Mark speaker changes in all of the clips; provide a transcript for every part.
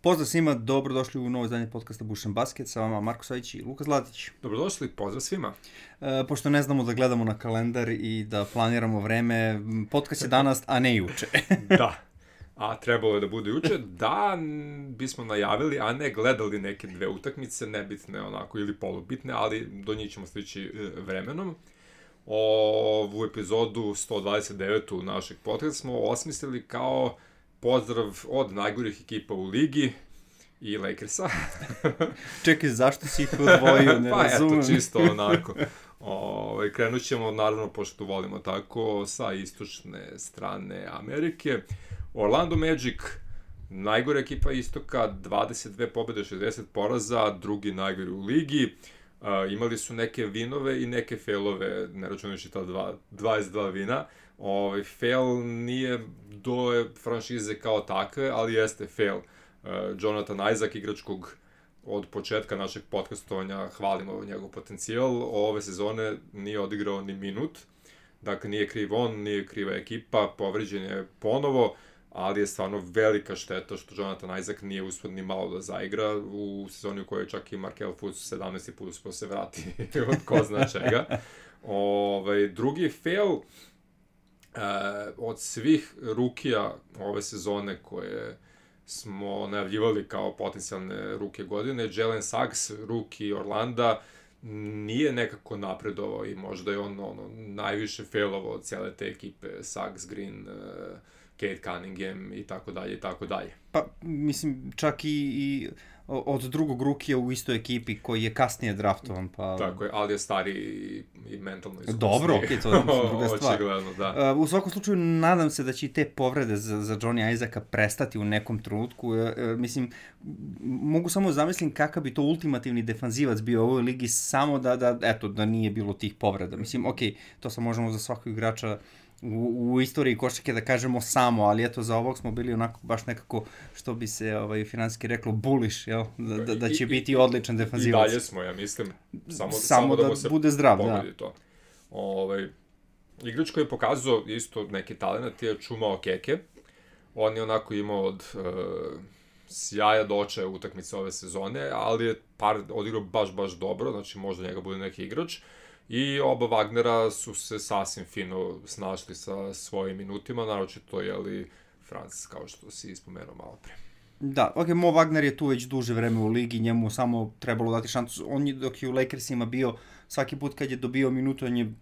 Speaker 1: Pozdrav svima, dobrodošli u novo izdanje podcasta Bušan Basket, sa vama Marko Savić i Luka Zlatić.
Speaker 2: Dobrodošli, pozdrav svima.
Speaker 1: Pošto ne znamo da gledamo na kalendar i da planiramo vreme, podcast je danas, a ne juče.
Speaker 2: Da, a trebalo je da bude juče, da bismo najavili, a ne gledali neke dve utakmice, nebitne onako ili polubitne, ali do njih ćemo stići vremenom. Ovu epizodu 129. našeg podcasta smo osmislili kao pozdrav od najgorih ekipa u ligi i Lakersa.
Speaker 1: Čekaj, zašto si ih odvojio, ne razumem.
Speaker 2: Pa eto, čisto onako. Krenut ćemo, naravno, pošto volimo tako, sa istočne strane Amerike. Orlando Magic, najgore ekipa istoka, 22 pobjede, 60 poraza, drugi najgori u ligi. Imali su neke vinove i neke failove, ne računajući ta 22 vina. Fail nije do franšize kao takve, ali jeste fail. Jonathan Isaac, igrač kog od početka našeg podcastovanja hvalimo njegov potencijal, ove sezone nije odigrao ni minut. Dakle, nije kriv on, nije kriva ekipa, povređen je ponovo, ali je stvarno velika šteta što Jonathan Isaac nije uspio ni malo da zaigra u sezoni u kojoj čak i Markelle Fultz 17. put uspio se vrati od ko zna čega. Drugi fail od svih rukija ove sezone koje smo najavljivali kao potencijalne ruke godine, Jalen Suggs, ruki Orlanda, nije nekako napredovao i možda je on najviše failovao od cijele te ekipe, Suggs, Green, Cade Cunningham i tako dalje i tako dalje.
Speaker 1: Pa, mislim, čak i od drugog rukija u istoj ekipi koji je kasnije draftovan, pa...
Speaker 2: Tako je, ali je stari i mentalno iskusni.
Speaker 1: Dobro, okej, to je druga stvar.
Speaker 2: Očigledno, da.
Speaker 1: U svakom slučaju, nadam se da će i te povrede za Johnny Isaaca prestati u nekom trenutku. Mislim, mogu samo zamislim kakav bi to ultimativni defanzivac bio u ovoj ligi samo da nije bilo tih povreda. Mislim, okej, to sad možemo za svakog igrača u istoriji košarke da kažemo samo, ali eto za ovog smo bili onako baš nekako, što bi se finansijski reklo, bullish, jel? Da će biti odličan defanzivac.
Speaker 2: I dalje smo, ja mislim,
Speaker 1: samo da mu se bude zdrav,
Speaker 2: pogodi to. Igrač koji je pokazao isto neki talent je Chuma Okeke. On je onako imao od sjaja do očaja utakmice ove sezone, ali je odigrao baš dobro, znači možda njega bude neki igrač. I oba Wagnera su se sasvim fino snašli sa svojim minutima, naročito je Franc, kao što si ispomenuo malo pre.
Speaker 1: Da, Mo Wagner je tu već duže vreme u ligi, njemu samo trebalo dati šansu. On je, dok je u Lakersima bio, svaki put kad je dobio minutu, on je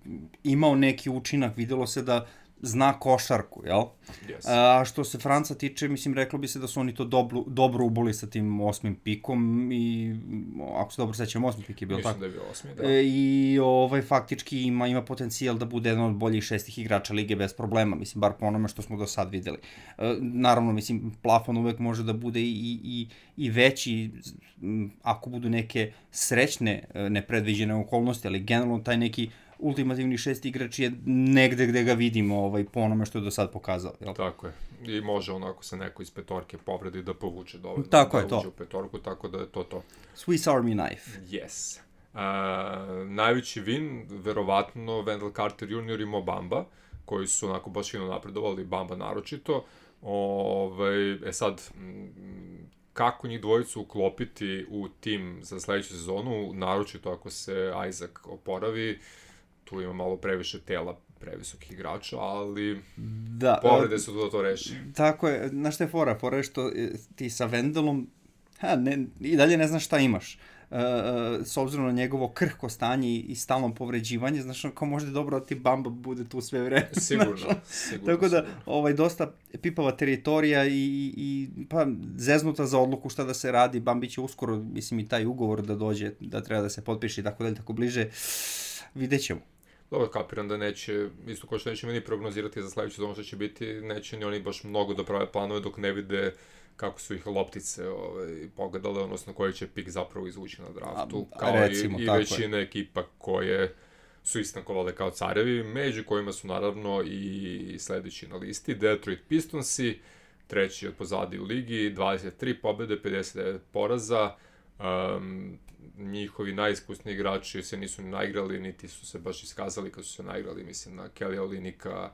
Speaker 1: imao neki učinak, videlo se da zna košarku, jel?
Speaker 2: Yes.
Speaker 1: A što se Franca tiče, mislim, reklo bi se da su oni to dobro uboli sa tim 8. pikom i, ako se dobro sećam, 8. pik je bio tako.
Speaker 2: Mislim da je bio 8. da.
Speaker 1: I faktički ima potencijal da bude jedan od boljih 6 igrača lige bez problema, mislim, bar po onome što smo do sad videli. Naravno, mislim, plafon uvek može da bude i veći ako budu neke srećne, nepredviđene okolnosti, ali generalno taj neki ultimativni 6 igrač je negde gde ga vidimo po onome što je do sad pokazao. Jel?
Speaker 2: Tako je. I može onako se neko iz petorke povredi da povuče dovoljno.
Speaker 1: Tako
Speaker 2: da
Speaker 1: je to.
Speaker 2: uđe u petorku, tako da je to.
Speaker 1: Swiss Army knife.
Speaker 2: Yes. Najveći win, verovatno, Wendell Carter Jr. i Mo Bamba, koji su onako baš fino napredovali, Bamba naročito. Sad, kako njih dvojicu uklopiti u tim za sledeću sezonu, naročito ako se Isaac oporavi, tu ima malo previše tela previsokih igrača, ali povrede su da to reši.
Speaker 1: Tako je, znaš šta je fora? Fora je što ti sa Wendellom i dalje ne znaš šta imaš. S obzirom na njegovo krhko stanje i stalno povređivanje, znaš, kao možda je dobro da ti Bamba bude tu sve vreme.
Speaker 2: Sigurno.
Speaker 1: Tako da, dosta pipava teritorija i zeznuta za odluku šta da se radi. Bambi će uskoro, mislim, i taj ugovor da dođe, da treba da se potpiše i tako dalje, tako bliže. Vidjet ćemo.
Speaker 2: Dobro, kapiram da neće, isto kao što nećemo ni prognozirati za sledeću sezonu što će biti, neće ni oni baš mnogo da prave planove dok ne vide kako su ih loptice pogledale, odnosno koji će pik zapravo izvući na draftu, kao recimo, i većina ekipa koje su istankovale kao carevi, među kojima su naravno i sledeći na listi, Detroit Pistonsi, treći od pozadi u ligi, 23 pobjede, 59 poraza, njihovi najiskusniji igrači se nisu ni naigrali, niti su se baš iskazali kad su se naigrali, mislim na Kelly Olynyka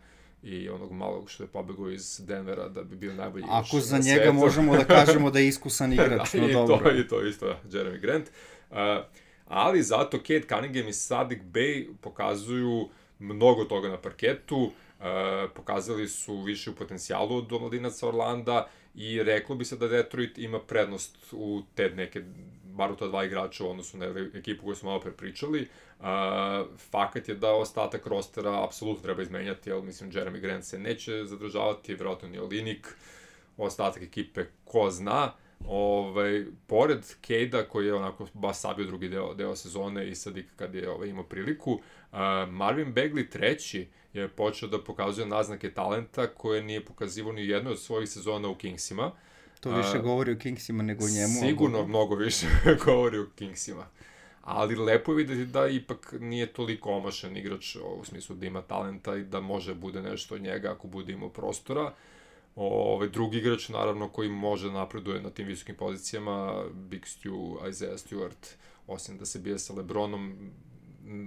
Speaker 2: i onog malog što je pobegao iz Denvera da bi bio najbolji
Speaker 1: igrač. Ako za
Speaker 2: na
Speaker 1: njega
Speaker 2: svetu.
Speaker 1: možemo da kažemo da je iskusan igrač, no dobro.
Speaker 2: I to isto, Jeremy Grant. Ali zato Cade Cunningham i Saddiq Bey pokazuju mnogo toga na parketu, pokazali su više u potencijalu od omladinaca Orlanda i reklo bi se da Detroit ima prednost u te neke, bar u ta dva igrača u odnosu na ekipu koju smo malo prepričali. Fakat je da ostatak rostera apsolutno treba izmenjati, jer mislim Jeremy Grant se neće zadržavati, vjerojatno ni Olinik, ostatak ekipe ko zna. Pored Cade-a koji je onako baš sabio drugi deo sezone i sad kad je imao priliku, Marvin Bagley treći je počeo da pokazuje naznake talenta koje nije pokazivao ni jednoj od svojih sezona u Kingsima.
Speaker 1: To više govori o Kingsima nego o njemu.
Speaker 2: Sigurno mnogo više govori o Kingsima. Ali lepo je videti da ipak nije toliko omašan igrač u smislu da ima talenta i da može bude nešto od njega ako bude imao prostora. Drugi igrač, naravno, koji može napreduje na tim visokim pozicijama, Big Stu, Isaiah Stewart, osim da se bije sa LeBronom,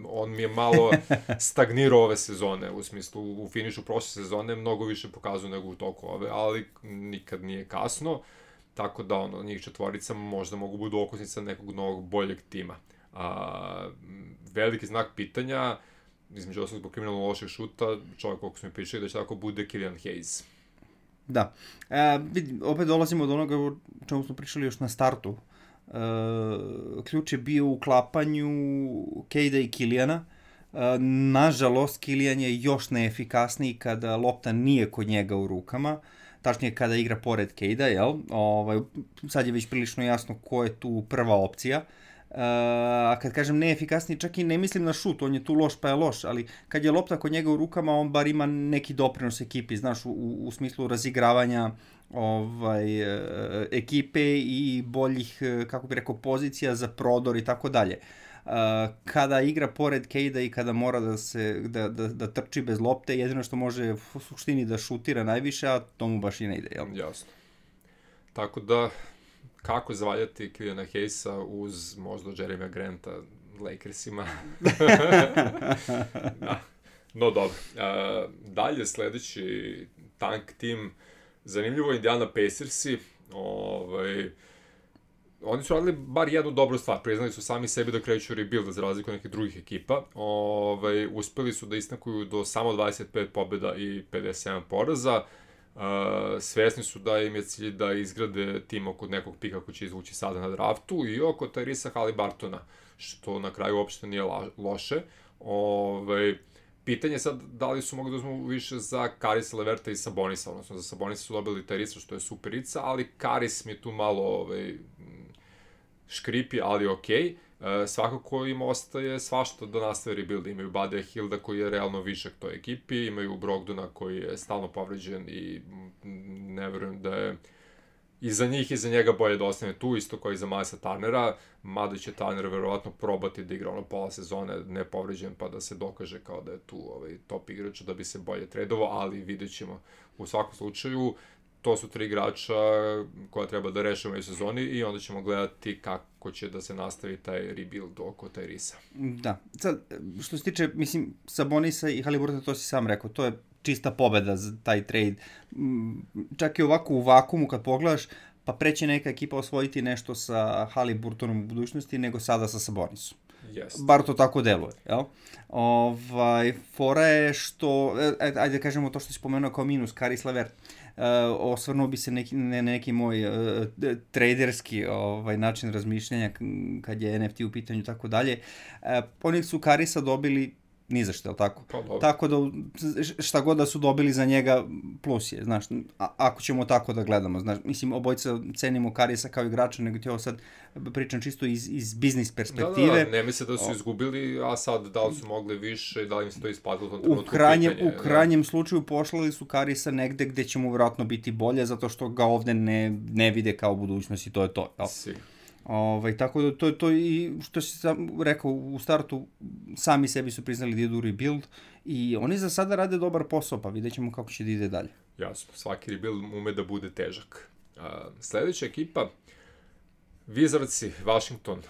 Speaker 2: on mi je malo stagnirao ove sezone, u smislu, u finišu prošle sezone mnogo više pokazuje nego u toku ove, ali nikad nije kasno, tako da njih četvorica možda mogu budu okosnica nekog novog boljeg tima. Veliki znak pitanja, između ostalog zbog kriminalno lošeg šuta, čovjek koliko smo mi pričali da će tako bude Killian Hayes.
Speaker 1: Da. Opet dolazimo od onoga o čemu smo pričali još na startu. Ključ je bio u uklapanju Cade-a i Killijana. Nažalost, Killijan je još neefikasniji kada lopta nije kod njega u rukama. Tačnije kada igra pored Cade-a, jel? Sad je već prilično jasno ko je tu prva opcija. A kad kažem neefikasniji, čak i ne mislim na šut, on je tu loš pa je loš, ali kad je lopta kod njega u rukama, on bar ima neki doprinos ekipi, znaš, u smislu razigravanja ekipe i boljih, kako bi rekao, pozicija za prodor i tako dalje. Kada igra pored Cade-a i kada mora da trči bez lopte, jedino što može u suštini da šutira najviše, a to mu baš i ne ide, jel?
Speaker 2: Jasno. Tako da, kako zavaljati Killiana Hayesa uz možda Jeremy Granta Lakersima? Da. No dobro. Dalje, sledeći tank tim, zanimljivo je Indiana Pacersi. Oni su radili bar jednu dobru stvar, priznali su sami sebi da kreću rebuild za razliku od nekih drugih ekipa. Uspeli su da isnakuju do samo 25 pobjeda i 57 poraza. Svesni su da im je cilj da izgrade tim oko nekog pika koji će izvući sada na draftu i oko Tyrese Haliburtona, što na kraju uopšte nije loše. Pitanje je sad da li su mogli da uzmu više za Karisa Leverta i Sabonisa, odnosno za Sabonisa su dobili Tyrese, što je superica, ali Karis mi je tu malo škripi, ali okej. Svakako im ostaje svašta da nastave rebuild. Imaju Buddyja Hilda koji je realno višak toj ekipi, imaju Brogdona koji je stalno povređen i ne verujem da je i za njih i za njega bolje da ostane tu, isto kao i za Milesa Turnera, mada će Turner verovatno probati da igra pola sezone nepovređen pa da se dokaže kao da je tu top igrač da bi se bolje tradovao, ali vidjet ćemo. U svakom slučaju, to su 3 igrača koja treba da rešimo u sezoni i onda ćemo gledati kako će da se nastavi taj rebuild oko Tyrese.
Speaker 1: Da. Sad, što se tiče, mislim, Sabonisa i Haliburtona, to si sam rekao, to je čista pobeda za taj trade. Čak i ovako u vakumu kad pogledaš, pa preće neka ekipa osvojiti nešto sa Haliburtonom u budućnosti nego sada sa Sabonisom.
Speaker 2: Yes.
Speaker 1: Bar to tako deluje, jel? Fora je što, ajde da kažemo to što si spomenuo kao minus, Caris LeVert. Osvrnuo bi se neki moj traderski način razmišljanja kad je NFT u pitanju i tako dalje. Oni su Carisa dobili ni za što, tako? Tako da šta god da su dobili za njega plus je, znaš, ako ćemo tako da gledamo, znaš, mislim, obojica cenimo Carisa kao igrača, nego ti ovo sad pričam čisto iz biznis perspektive.
Speaker 2: Da, ne misle da su izgubili, a sad da li su mogli više, da li im se to isplatilo u tom trenutku
Speaker 1: U krajnjem slučaju poslali su Carisa negde gde će mu vjerojatno biti bolje, zato što ga ovde ne vide kao budućnost i to je to, jel? Tako da to i što si sam rekao u startu, sami sebi su priznali da idu rebuild i oni za sada rade dobar posao, pa vidjet ćemo kako će da ide dalje.
Speaker 2: Jasno, svaki rebuild ume da bude težak. Sledeća ekipa, Wizardsi, Washington,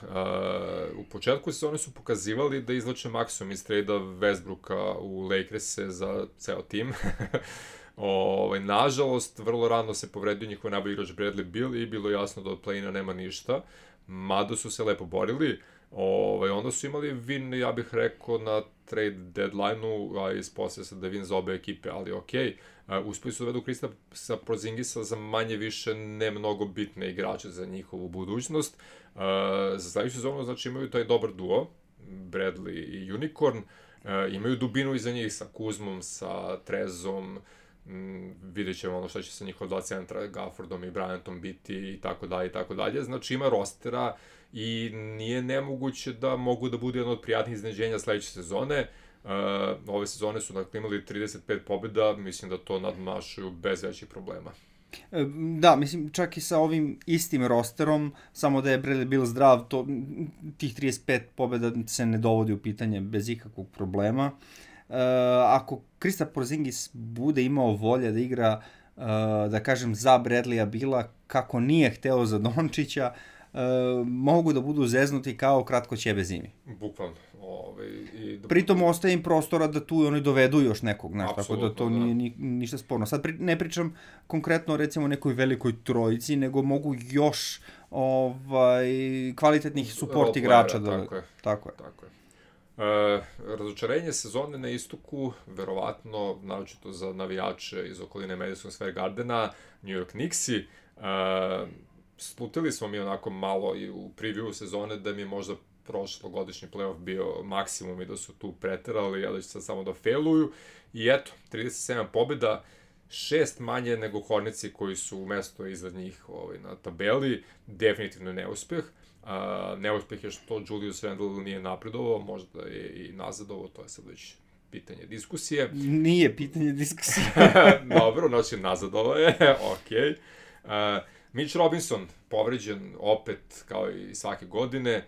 Speaker 2: u početku sezone su pokazivali da izlače maksimum iz trejda Westbrooka u Lakers-e za ceo tim. Nažalost, vrlo rano se povredio njihov najbolji igrač Bradley Beal i bilo jasno da od play-ina nema ništa, mada su se lepo borili. Onda su imali win, ja bih rekao, na trade deadline-u, a ispostavlja se da je win za obe ekipe, ali okej. Uspeli su dovedu Kristapsa Porzingisa za manje više ne mnogo bitne igrače za njihovu budućnost. Za sledeću sezonu, znači, imaju taj dobar duo, Bradley i Unicorn, imaju dubinu iza njih sa Kuzmom, sa Trezom, vidjet ćemo ono šta će sa njihova dva centra, Gaffordom i Bryantom biti i tako dalje i tako dalje. Znači, ima rostera i nije nemoguće da mogu da bude jedno od prijatnih iznenađenja sledeće sezone. Ove sezone su dakle imali 35 pobjeda, mislim da to nadmašuju bez većih problema.
Speaker 1: Da, mislim, čak i sa ovim istim rosterom, samo da je Bradley Beal zdrav, tih 35 pobjeda se ne dovodi u pitanje bez ikakvog problema. Ako Kristaps Porzingis bude imao volje da igra, da kažem, za Bradleya Beala, kako nije hteo za Dončića, mogu da budu zeznuti kao kratko ćebe zimi.
Speaker 2: Bukvalno.
Speaker 1: Pritom ostaje im prostora da tu oni dovedu još nekog, tako da to nije ništa sporno. Sad ne pričam konkretno recimo o nekoj velikoj trojici, nego mogu još kvalitetnih support igrača da... Tako je.
Speaker 2: Razočarenje sezone na istoku, verovatno, naročito za navijače iz okoline Madison Square Gardena, New York Knicksi. Slutili smo mi onako malo i u preview sezone da mi je možda prošlogodišnji playoff bio maksimum i da su tu preterali, ali će sad samo da failuju. I eto, 37 pobjeda, 6 manje nego Hornetsi koji su mesto iznad njih na tabeli. Definitivno neuspeh. Neuspeh je što Julius Randle nije napredovao, možda je i nazadovao, to je sad već pitanje diskusije.
Speaker 1: Nije pitanje diskusije.
Speaker 2: Dobro, znači nazadovao je, okej. Mitch Robinson, povređen opet kao i svake godine.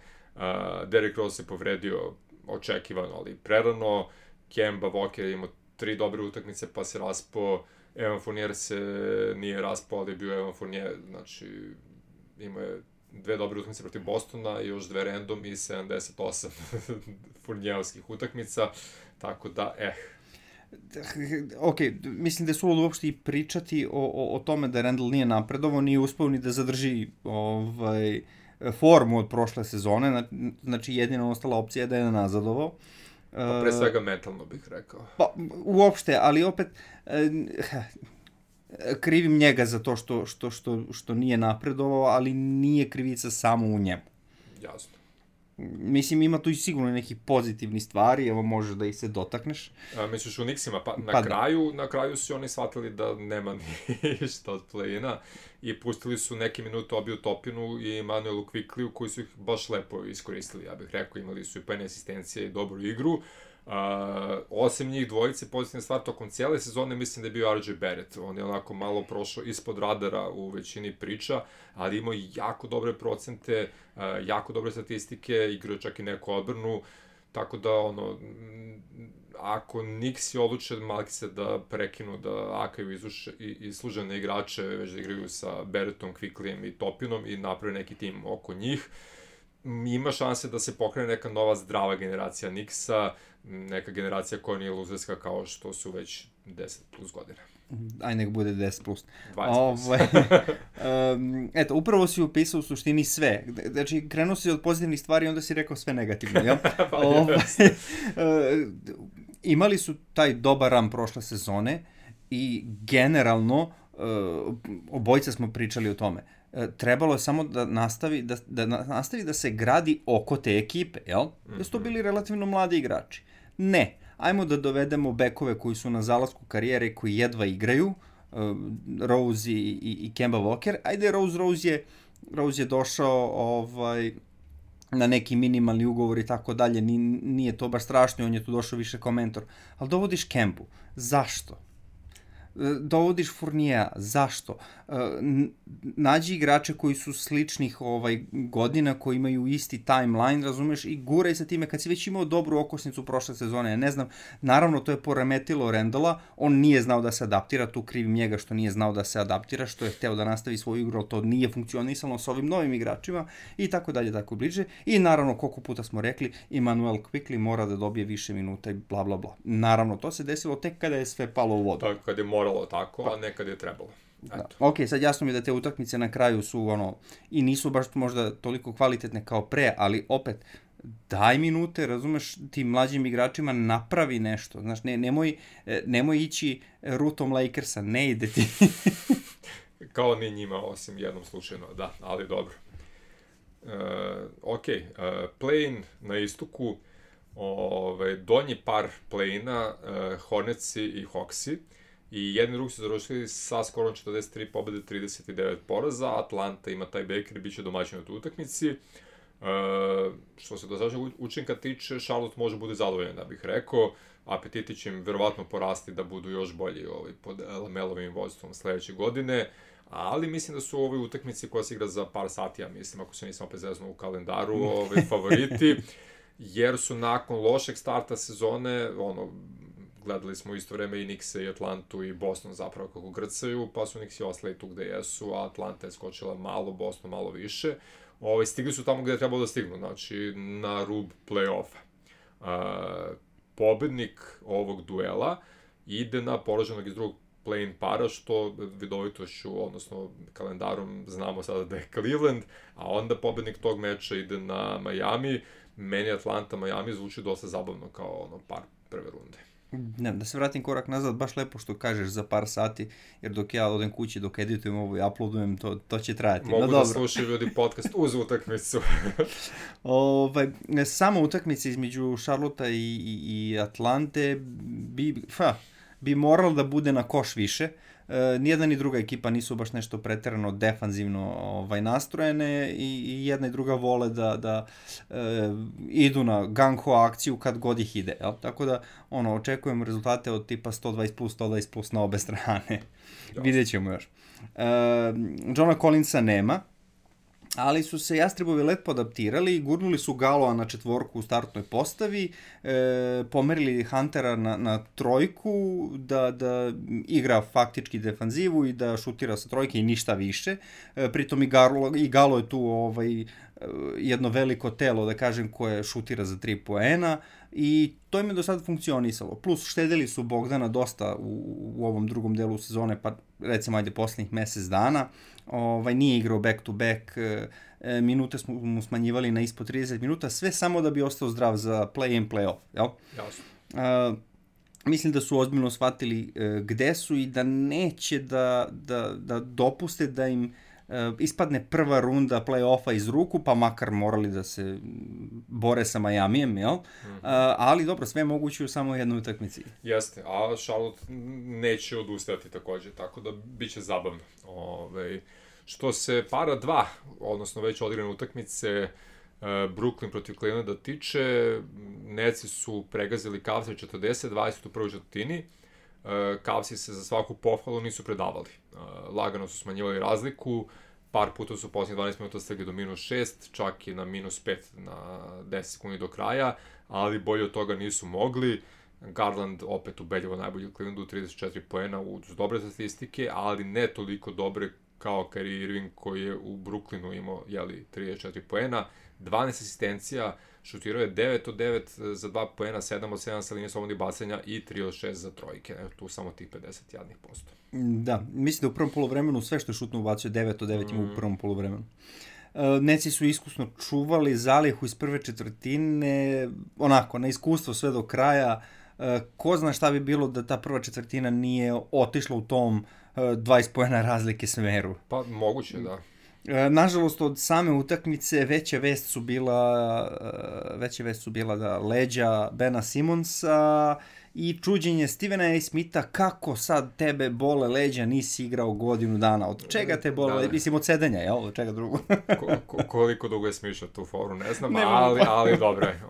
Speaker 2: Derrick Rose je povredio očekivano, ali prerano. Kemba Walker je imao 3 dobre utakmice pa se raspao. Evan Fournier se nije raspao, ali je bio Evan Fournier, znači imao je 2 dobre utakmice protiv Bostona i još 2 random i 78 Fournierskih utakmica, tako da,
Speaker 1: Ok, mislim da je suludo uopšte i pričati o tome da Randle nije napredovao, nije uspeo ni da zadrži formu od prošle sezone, znači jedina ostala opcija je da je nazadovao.
Speaker 2: Pa pre svega mentalno bih rekao.
Speaker 1: Pa, uopšte, ali opet krivim njega za to što nije napredovao, ali nije krivica samo u njemu.
Speaker 2: Jasno.
Speaker 1: Mislim, ima tu i sigurno nekih pozitivnih stvari, evo možeš da ih se dotakneš.
Speaker 2: Misliš u Knicksima, pa na kraju su oni shvatili da nema ništa od play-ina i pustili su neke minute Obiju Topinu i Manuelu Quickliju koji su ih baš lepo iskoristili, ja bih rekao, imali su i pene asistencije i dobru igru. Osim njih dvojice, pozitivna stvar tokom cijele sezone, mislim da je bio RJ Barrett. On je onako malo prošao ispod radara u većini priča, ali imao jako dobre procente, jako dobre statistike, igrao čak i neku odbranu, tako da ako Knicksi odluče malki se da prekinu, da akaju islužene igrače, već da igraju sa Barrettom, Quicklyjem i Topinom i naprave neki tim oko njih, ima šanse da se pokrene neka nova zdrava generacija Knicksa, neka generacija koja nije luzerska kao što su već 10 plus godina.
Speaker 1: Aj, nek bude 10 plus.
Speaker 2: 20 plus.
Speaker 1: Eto, upravo si upisao u suštini sve. Znači, krenuo si od pozitivnih stvari i onda si rekao sve negativno, jel? Imali su taj dobar run prošle sezone i generalno, obojica smo pričali o tome, trebalo je samo da nastavi da se gradi oko te ekipe, jel? Da su to bili relativno mladi igrači. Ne, ajmo da dovedemo bekove koji su na zalasku karijere, koji jedva igraju, Rose i Kemba Walker. Ajde, Rose je došao na neki minimalni ugovor i tako dalje, nije to baš strašno, on je tu došao više kao mentor. Ali dovodiš Kembu. Zašto? dovodiš Fournija, zašto? Nađi igrače koji su sličnih godina, koji imaju isti timeline, razumeš, i guraj sa time, kad si već imao dobru okosnicu prošle sezone, ne znam, naravno to je poremetilo Randalla, on nije znao da se adaptira, tu krivim njega što nije znao da se adaptira, što je hteo da nastavi svoju igru, ali to nije funkcionisalo s ovim novim igračima, i tako dalje, tako bliže, i naravno, koliko puta smo rekli, Immanuel Quickley mora da dobije više minuta i bla bla bla. Naravno, to se desilo tek kada je sve palo u vodu.
Speaker 2: Tako, kad je moralo tako, a ne kad je trebalo.
Speaker 1: Da. Ok, sad jasno mi da te utakmice na kraju su i nisu baš možda toliko kvalitetne kao pre, ali opet, daj minute, razumeš, tim mlađim igračima napravi nešto, znaš, nemoj ići rutom Lakersa, ne ide ti.
Speaker 2: Kao ni njima, osim jednom slučajno, da, ali dobro. Play-in na istoku, donji par play-ina, Hornetsi i Hawksi, i jedni drugi su završili sa skorom 43 pobjede, 39 poraza. Atlanta ima taj Baker i bit će domaćin u toj utakmici. Što se dosadašnjeg učinka tiče, Charlotte može bude zadovoljan, da bih rekao. Apetiti će im verovatno porasti da budu još bolji pod Lamelovim vođstvom sledeće godine. Ali mislim da su u ovoj utakmici koja se igra za par sati, ja mislim, ako se nisam opet zeznuo u kalendaru, favoriti, jer su nakon lošeg starta sezone, gledali smo isto vreme i Knickse i Atlantu i Boston zapravo kako grcaju, pa su Knicksi ostali tu gde jesu, a Atlanta je skočila malo, Boston malo više. Stigli su tamo gde je trebalo da stignu, znači na rub play-offa. Pobednik ovog duela ide na poraženog iz drugog play-in para, što vidovitošću, odnosno kalendarom znamo sada da je Cleveland, a onda pobednik tog meča ide na Miami. Meni Atlanta-Miami zvuči dosta zabavno kao par prve runde.
Speaker 1: Ne, da se vratim korak nazad, baš lepo što kažeš za par sati, jer dok ja odem kući, dok editujem ovo i uploadujem, to će trajati.
Speaker 2: Mogu da slušaju ljudi podcast uz utakmicu.
Speaker 1: Samo utakmice između Charlotte i Atlante bi moralo da bude na koš više. Nijedna ni druga ekipa nisu baš nešto preterano defanzivno nastrojene i jedna i druga vole da idu na gang-ho akciju kad god ih ide. Jel? Tako da očekujem rezultate od tipa 120 plus na obe strane. Vidjet ćemo još. Johna Collinsa nema, ali su se Jastrebovi lepo adaptirali, gurnuli su Galoa na četvorku u startnoj postavi, pomerili Huntera na trojku, da igra faktički defanzivu i da šutira sa trojke i ništa više. Pritom i Galo je tu jedno veliko telo, da kažem, koje šutira za 3 poena i to im je do sada funkcionisalo. Plus štedili su Bogdana dosta u ovom drugom delu sezone, pa recimo poslednjih mesec dana. Nije igrao back to back, minute smo mu smanjivali na ispod 30 minuta, sve samo da bi ostao zdrav za play-in, play-off, jel?
Speaker 2: Jasno.
Speaker 1: Mislim da su ozbiljno shvatili gde su i da neće da dopuste da im ispadne prva runda play-offa iz ruku, pa makar morali da se bore sa Miamijem, jel? Ali dobro, sve moguće u samo jednoj utakmici.
Speaker 2: Jeste, a Charlotte neće odustajati takođe, tako da bit će zabavno. Što se para 2, odnosno već odigrane utakmice, Brooklyn protiv Clevelanda tiče, Netsi su pregazili Cavs 40-20 u prvoj četvrtini. Cavsi se za svaku pohvalu nisu predavali. Lagano su smanjivali razliku, par puta su posljednjih 12 minuta stigli do -6, čak i na -5 na 10 sekundi do kraja, ali bolje od toga nisu mogli. Garland opet ubedljivo najbolji u Clevelandu, 34 poena uz dobre statistike, ali ne toliko dobre kao Kyrie Irving koji je u Brooklynu imao 34 poena, 12 asistencija, šutirao je 9 od 9 za 2 poena, 7 od 7 sa linije slobodnih bacanja i 3 od 6 za trojke. Tu samo tih 50%.
Speaker 1: Da, mislim da u prvom poluvremenu sve što je šutno ubacio 9 od 9 ima u prvom poluvremenu. Netsi su iskusno čuvali zalihu iz prve četvrtine, onako, na iskustvo sve do kraja. Ko zna šta bi bilo da ta prva četvrtina nije otišla u tom 20 poena razlike smeru.
Speaker 2: Pa moguće, da.
Speaker 1: Nažalost, od same utakmice veća vest su bila da leđa Bena Simonsa i čuđenje Stevena A. Smitha kako sad tebe bole leđa, nisi igrao godinu dana. Od čega te bole? Da. Mislim, od sedenja, jel? Od čega drugo?
Speaker 2: Koliko dugo je smišljao tu foru, ne znam, ali dobro je.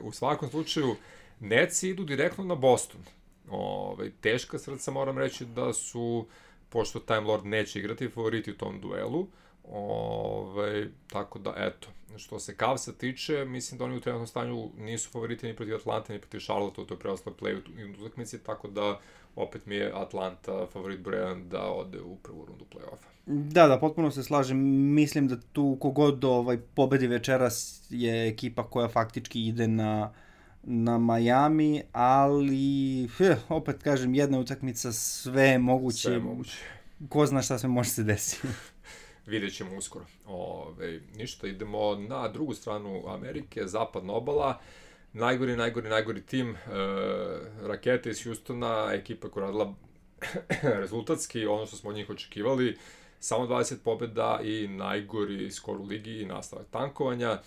Speaker 2: U svakom slučaju, Netsi idu direktno na Boston. Teška srca, moram reći da su, pošto Time Lord neće igrati, favoriti u tom duelu. Tako da, eto, što se Cavsa tiče, mislim da oni u trenutnom stanju nisu favoriti ni protiv Atlante, ni protiv Charlotte, to je preostalo play u utakmici, tako da opet mi je Atlanta favorit broj 1 da ode u prvu rundu play-offa.
Speaker 1: Da, potpuno se slažem. Mislim da tu kogod pobedi večeras je ekipa koja faktički ide na Miami, ali opet kažem, jedna utakmica, sve je moguće.
Speaker 2: Sve je moguće.
Speaker 1: Ko zna šta se može se desiti.
Speaker 2: Vidjet ćemo uskoro. Ništa, idemo na drugu stranu Amerike, zapadna obala. Najgori tim, Rakete iz Houstona, ekipa koja radila rezultatski, ono što smo od njih očekivali, samo 20 pobjeda i najgori skor u ligi i nastavak tankovanja.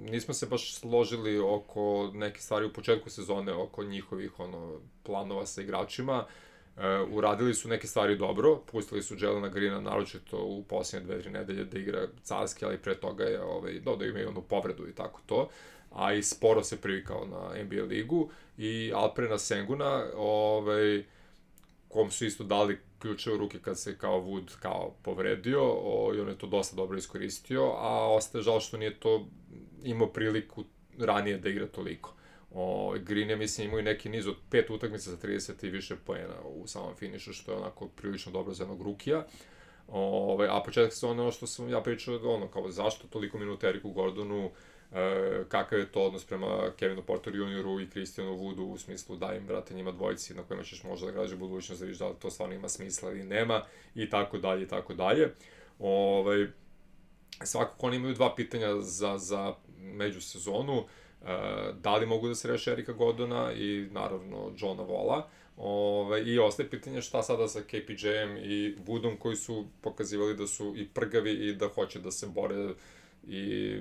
Speaker 2: Nismo se baš složili oko neke stvari u početku sezone, oko njihovih planova sa igračima. Uradili su neke stvari dobro, pustili su Jelena Greena naročito u posljednje 2-3 nedelje da igra carski, ali pre toga je da imaju onu povredu i tako to, a i sporo se privikao na NBA ligu, i Alperena Senguna, kom su isto dali ključe u ruke kad se kao Wood povredio, i on je to dosta dobro iskoristio, a ostaje žal što nije to imao priliku ranije da igra toliko. Green je, mislim, imao i neki niz od 5 utakmica za 30 i više poena u samom finišu, što je onako prilično dobro za jednog rukija. A početak se ono što sam ja pričao, kao zašto toliko minuta Eriku Gordonu, kakav je to odnos prema Kevinu Porter Junioru i Christianu Woodu, u smislu da im, brate, njima dvojici na kojima ćeš možda da građe budućnost, da vidiš da li to stvarno ima smisla ili nema, i tako dalje, i tako dalje. Svakako oni imaju 2 pitanja za međusezonu. Da li mogu da se reše Erika Gordona i naravno Johna Walla, i ostaje pitanje šta sada sa KPJ-em i Woodom, koji su pokazivali da su i prgavi i da hoće da se bore i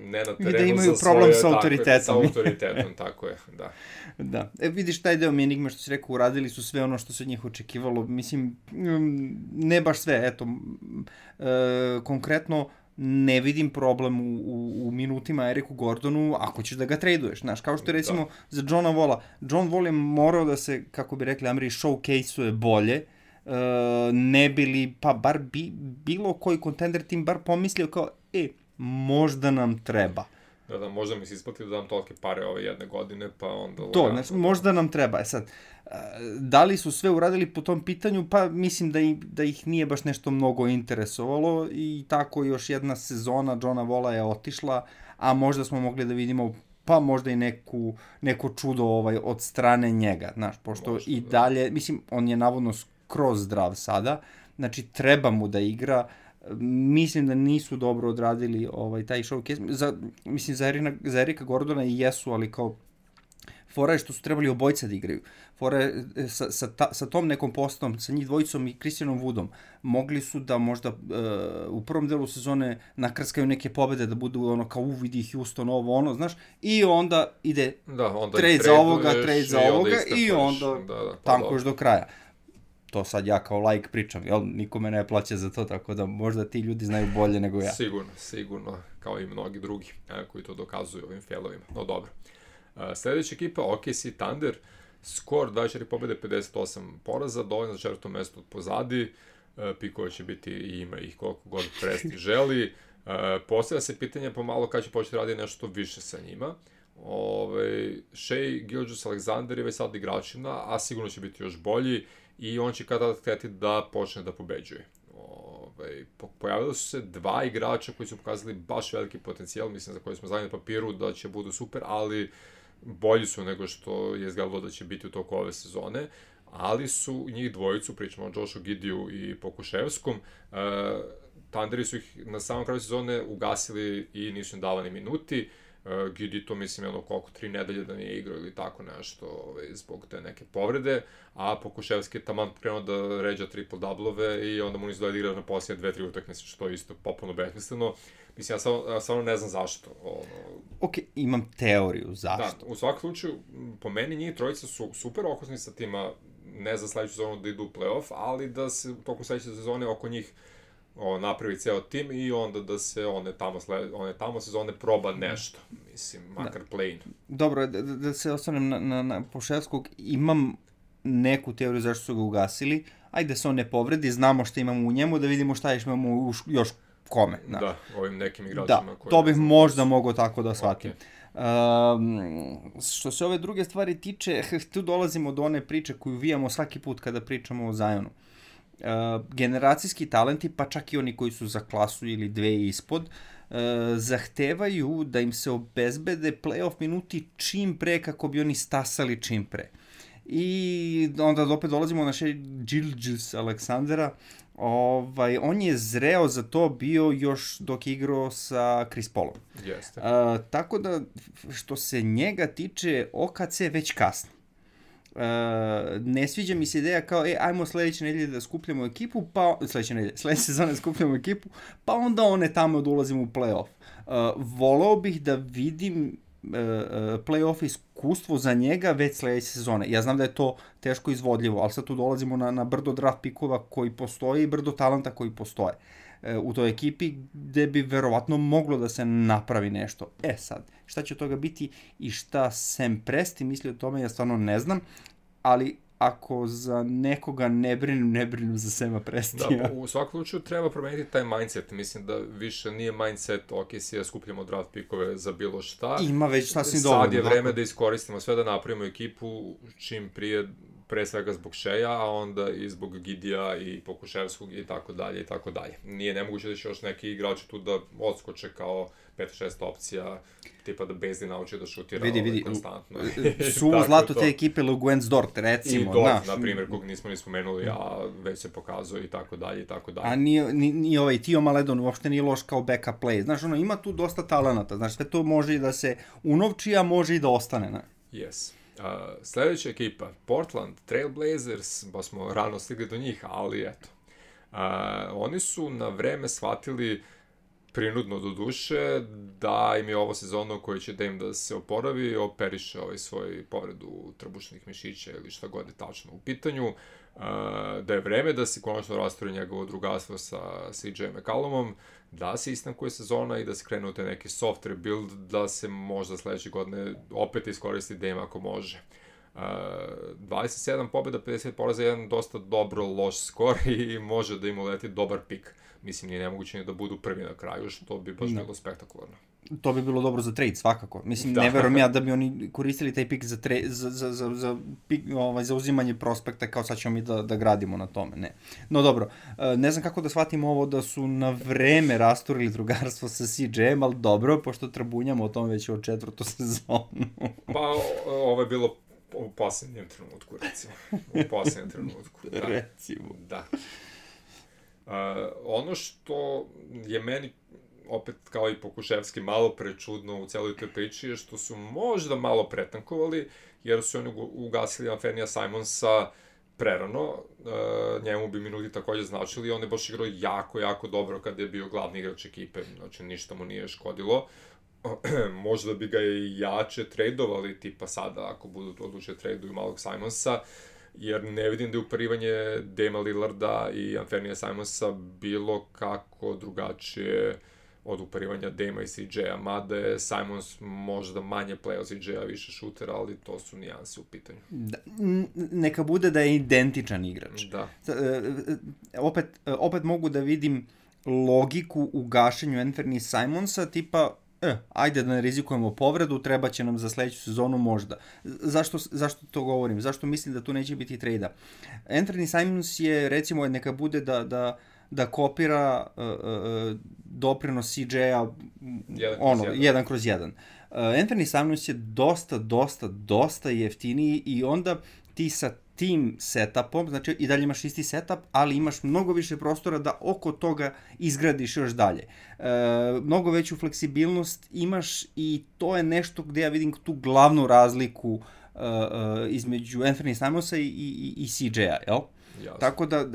Speaker 2: ne na terenu, i da imaju problem sa autoritetom. Sa autoritetom, tako je, da.
Speaker 1: Da, vidiš, taj deo mi enigme što si rekao, uradili su sve ono što se od njih očekivalo, mislim, ne baš sve, eto, konkretno, ne vidim problem u minutima Eriku Gordonu ako ćeš da ga traduješ, znaš, kao što je recimo za Johna Walla. John Wall je morao da se, kako bi rekli Ameri, showcase-uje bolje, ne bili, pa bar bilo koji kontender tim bar pomislio kao, možda nam treba.
Speaker 2: Da, možda mi se isplati da dam tolike pare ove jedne godine, pa onda...
Speaker 1: To, znači, možda nam treba. Sad, da li su sve uradili po tom pitanju? Pa mislim da ih nije baš nešto mnogo interesovalo, i tako još jedna sezona Johna Walla je otišla, a možda smo mogli da vidimo pa možda i neko čudo od strane njega, znaš, pošto možda, i dalje, mislim, on je navodno skroz zdrav sada, znači treba mu da igra. Mislim da nisu dobro odradili taj showcase. Mislim, za Erika Gordona i jesu, ali kao fora je što su trebali obojica da igraju. Fora je sa tom nekom postavom, sa njih dvojicom i Christianom Woodom, mogli su da možda u prvom delu sezone nakrskaju neke pobede, da budu kao uvidi Houston, znaš, i onda ide trade za ovoga, i onda tankuješ do kraja. To sad ja kao like pričam, jel? Niko me ne plaća za to, tako da možda ti ljudi znaju bolje nego ja.
Speaker 2: Sigurno, kao i mnogi drugi koji to dokazuju ovim failovima, no dobro. Sljedeća ekipa, OKC Thunder, skor 24 pobjede, 58 poraza, dovoljno za 4. mesto pozadi, pikova će biti i ima ih koliko god Presti želi. Postavlja se pitanje pomalo kada će početi raditi nešto više sa njima. Shai Gilgeous-Alexander je već sad igračina, a sigurno će biti još bolji, i on će kada htjeti da počne da pobeđuje. Pojavili su se 2 igrača koji su pokazali baš veliki potencijal, mislim, za koje smo znali na papiru da će budu super, ali bolji su nego što je izgledalo da će biti u toku ove sezone, ali su njih dvojicu, pričamo o Joshu Giddiju i Pokuševskom, Thunderi su ih na samom kraju sezone ugasili i nisu im davani minuti. Giddy to, mislim, koliko 3 nedelje da nije igrao ili tako nešto zbog te neke povrede, a Pokuševski je taman krenuo da ređa triple-doublove i onda mu nisu da igra na posljednje 2-3 utakmice, što je isto potpuno besmisleno. Mislim, ja stvarno ne znam zašto.
Speaker 1: Ok, imam teoriju zašto.
Speaker 2: Da, u svakom slučaju, po meni njih trojica su super okosni sa tima, ne za sledeću sezonu da idu u play-off, ali da se u toku sledeće sezone oko njih napravi ceo tim i onda da se one tamo sezone proba nešto, mislim, makar play-in.
Speaker 1: Dobro, da se ostanem na Pokusevskog, imam neku teoriju zašto su ga ugasili, ajde da se on ne povredi, znamo šta imamo u njemu, da vidimo šta imamo još kome.
Speaker 2: Da, ovim nekim igračima.
Speaker 1: Da, to bih možda mogao tako da shvatim. Što se ove druge stvari tiče, tu dolazimo do one priče koju vijamo svaki put kada pričamo o Zionu. Generacijski talenti, pa čak i oni koji su za klasu ili dve ispod, zahtevaju da im se obezbede playoff minuti čim pre kako bi oni stasali čim pre. I onda opet dolazimo na Gilgeous Aleksandra. On je zreo za to bio još dok je igrao sa Chris Paulom.
Speaker 2: Jeste.
Speaker 1: Tako da, što se njega tiče, OKC već kasno. Ne sviđa mi se ideja kao, ajmo sledeće nedelje da skupljamo ekipu, pa sledeće sezone skupljamo ekipu, pa onda one tamo da ulazimo u play-off. Voleo bih da vidim play-off iskustvo za njega već sledeće sezone. Ja znam da je to teško izvodljivo, ali sad tu dolazimo na brdo draft pikova koji postoje i brdo talenta koji postoje u toj ekipi, gde bi verovatno moglo da se napravi nešto. Sad, šta će od toga biti i šta Sam Presti misli o tome, ja stvarno ne znam, ali ako za nekoga ne brinem za Sama Prestija.
Speaker 2: Da, u svakom slučaju treba promeniti taj mindset. Mislim da više nije mindset, ok, si ja skupljamo draft pikove za bilo šta.
Speaker 1: Ima već sasvim dovoljno.
Speaker 2: Sad je vreme da iskoristimo sve, da napravimo ekipu čim prije, pre svega zbog Sheja, a onda i zbog Gidija i Pokuševskog i tako dalje i tako dalje. Nije nemoguće da će još neki igrači tu da odskoče kao 5-6 opcija, tipa da Bezdin nauči da šutira
Speaker 1: vidi,
Speaker 2: konstantno.
Speaker 1: Suvo zlato te ekipe Luguentz Dort, recimo.
Speaker 2: I Dort, na primjer, kog nismo ni spomenuli, a već se pokazuje i tako dalje i tako dalje.
Speaker 1: A ni ovaj Tio Maledon uopšte nije loš kao backup play. Znaš, ima tu dosta talenata. Znaš, sve to može i da se unovči, a može i da ostane. Ne?
Speaker 2: Yes. Sledeća ekipa, Portland Trail Blazers, pa smo rano stigli do njih, ali eto. Oni su na vreme shvatili, prinudno do duše, da im je ovo sezona u kojoj će Dame da se oporavi, operiše svoj povredu trbušnih mišića ili šta god je tačno u pitanju, da je vreme da se konačno rastori njegovo drugarstvo sa CJ McCollumom, da se istankuje sezona i da se krene u te neki soft rebuild, da se možda sledeće godine opet iskoristi Dame ako može. 27 pobjeda, 50 poraza, jedan dosta dobro loš skor i može da im uleti dobar pik. Mislim, nije nemoguće ni da budu prvi na kraju, što bi baš bilo spektakularno.
Speaker 1: To bi bilo dobro za trade, svakako. Mislim, ne verujem ja da bi oni koristili taj pik za uzimanje prospekta, kao sad ćemo mi da gradimo na tome. Ne. No dobro, ne znam kako da shvatimo ovo da su na vreme rasturili drugarstvo sa CJ-em, ali dobro, pošto trabunjamo o tome već od 4. sezonu.
Speaker 2: Pa, ovo je bilo u posljednjem trenutku, recimo. U posljednjem trenutku, da.
Speaker 1: Recimo.
Speaker 2: Da. Ono što je meni, opet kao i Pokuševski, malo prečudno u celoj toj priči je što su možda malo pretankovali, jer su oni ugasili Anthony'a Simonsa prerano, njemu bi minuti takođe značili, on je baš igrao jako, jako dobro kad je bio glavni igrač ekipe, znači ništa mu nije škodilo. Možda bi ga i jače tradovali, tipa sada, ako budu odlučili traduju malog Simonsa, jer ne vidim da je uparivanje Dama Lillarda i Anthony'a Simonsa bilo kako drugačije od uparivanja Dama i CJ-a, mada je Simons možda manje play od CJ-a, više šutera, ali to su nijanse u pitanju.
Speaker 1: Da, neka bude da je identičan igrač.
Speaker 2: Da.
Speaker 1: Opet mogu da vidim logiku u gašenju Anthony Simonsa, tipa ajde da ne rizikujemo povredu, treba će nam za sledeću sezonu možda. Zašto to govorim? Zašto mislim da tu neće biti trejda? Anthony Simons je, recimo, neka bude da kopira doprinos CJ-a 1/1. Anthony Simons je dosta jeftiniji i onda ti sa tim setupom, znači i dalje imaš isti setup, ali imaš mnogo više prostora da oko toga izgradiš još dalje. Mnogo veću fleksibilnost imaš i to je nešto gde ja vidim tu glavnu razliku između Anthony Simonsa i CJ-a, jel?
Speaker 2: Jasno.
Speaker 1: Tako da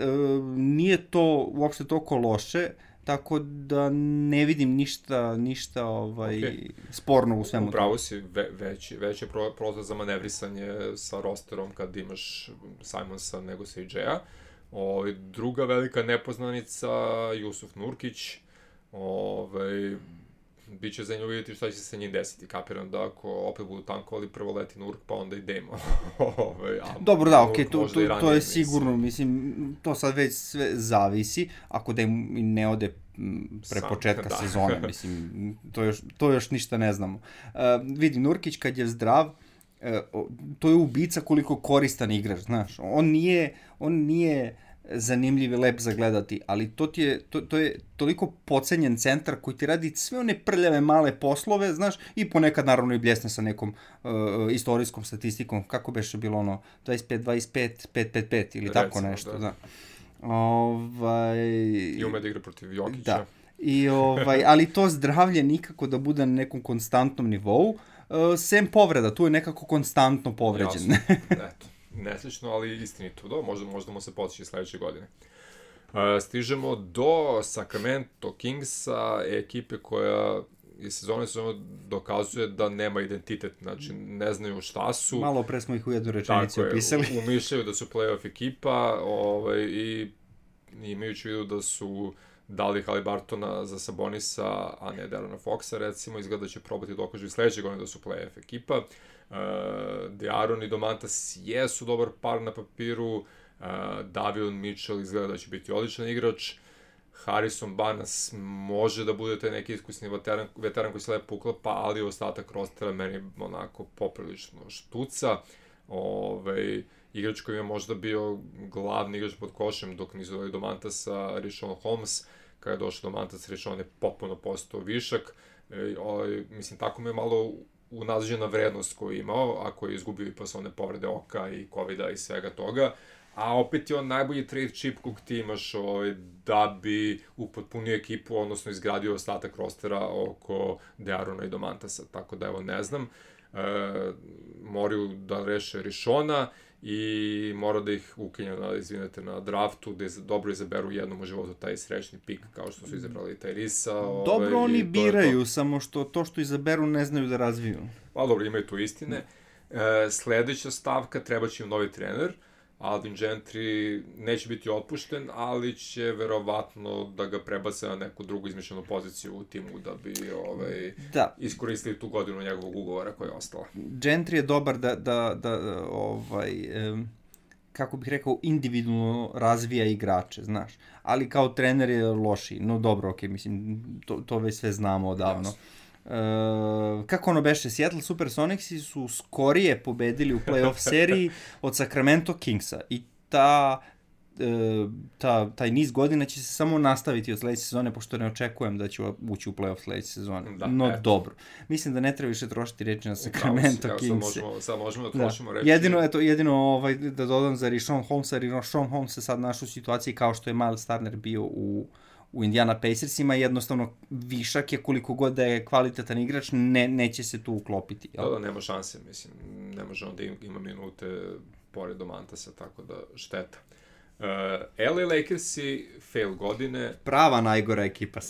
Speaker 1: nije to uopšte toliko loše, tako da ne vidim ništa sporno u svemu.
Speaker 2: Upravo si, veći prozor za manevrisanje sa rosterom kad imaš Simonsa nego CJ-a. Druga velika nepoznanica, Jusuf Nurkić, biće za nju vidjeti šta će se sa njim desiti. Kapiram da ako opet budu tankovali, prvo leti Nurk, pa onda i Demo.
Speaker 1: Dobro, da, okej, to je sigurno, mislim, to sad već sve zavisi, ako Demo ne ode pre početka sezone, mislim, to još ništa ne znamo. Vidi, Nurkić kad je zdrav, to je ubica koliko koristan igrač, znaš, on nije zanimljiv i lep za gledati, ali to je toliko pocenjen centar koji ti radi sve one prljave male poslove, znaš, i ponekad naravno i bljesne sa nekom istorijskom statistikom, kako beše bilo ono, 25-25, 5-5-5 ili tako nešto, da.
Speaker 2: I ume da igra protiv Jokića.
Speaker 1: Da, ali to zdravlje nikako da bude na nekom konstantnom nivou, sem povreda, tu je nekako konstantno povređen.
Speaker 2: Jasno, eto. Neslično, ali istinito. Možda mu se potići sledeće godine. Stižemo do Sacramento Kingsa, ekipe koja iz sezone dokazuje da nema identitet, znači ne znaju šta su.
Speaker 1: Malo pre smo ih u jednu rečenici opisali.
Speaker 2: Umišljaju da su play-off ekipa i imajući vidu da su dali Halibartona za Sabonisa, a ne Derona Foxa, recimo, izgleda da će probati dokažu i sledeće godine da su play-off ekipa. De'Aaron i Domantas jesu dobar par na papiru, Davion Mitchell izgleda da će biti odličan igrač, Harrison Barnes može da bude taj neki iskusni veteran koji se lepo uklapa, ali ostatak rostera meni onako poprilično štuca. Igrač koji je možda bio glavni igrač pod košem dok nisu dali Domantasa, Richaun Holmes, kada je došao Domantas, Richaun je potpuno postao višak. Mislim, tako mi je malo unazađena vrednost koju je imao, a koji je izgubio i posle one povrede oka i covida i svega toga, a opet je on najbolji trade chip kog ti imaš da bi upotpunio ekipu, odnosno izgradio ostatak rostera oko De'Aarona i Domantasa, tako da evo ne znam, moraju da reše Richauna i mora da ih ukenju na draftu, da dobro izaberu jednom u životu taj srećni pik, kao što su izabrali Tyrisa.
Speaker 1: Dobro, oni biraju, samo što izaberu ne znaju da razviju.
Speaker 2: Pa dobro, imaju tu istine. Sledeća stavka, treba će im novi trener. Alvin Gentry neće biti otpušten, ali će verovatno da ga prebace na neku drugu izmišljenu poziciju u timu da bi iskoristili tu godinu njegovog ugovora koja je ostala.
Speaker 1: Gentry je dobar kako bih rekao, individualno razvija igrače, znaš. Ali kao trener je lošiji. No dobro, okej, mislim, to već sve znamo odavno. Jasno. Kako ono beše, Seattle Supersonicsi su skorije pobedili u playoff seriji od Sacramento Kingsa i taj niz godina će se samo nastaviti od sledeće sezone, pošto ne očekujem da će ući u playoff sledeće sezone. Dobro. Mislim da ne treba više trošiti reči na Sacramento Kingse.
Speaker 2: Sad možemo da trošimo reči.
Speaker 1: Jedino da dodam za Richaun Holmesa, Richaun Holmes se sad našao u situaciji kao što je Miles Turner bio u Indiana Pacersima, jednostavno višak je koliko god da je kvalitetan igrač, neće se tu uklopiti.
Speaker 2: Da, nema šanse, mislim, ne može on da ima minute pored Domantasa, tako da šteta. LA Lakersi, fail godine.
Speaker 1: Prava najgora ekipa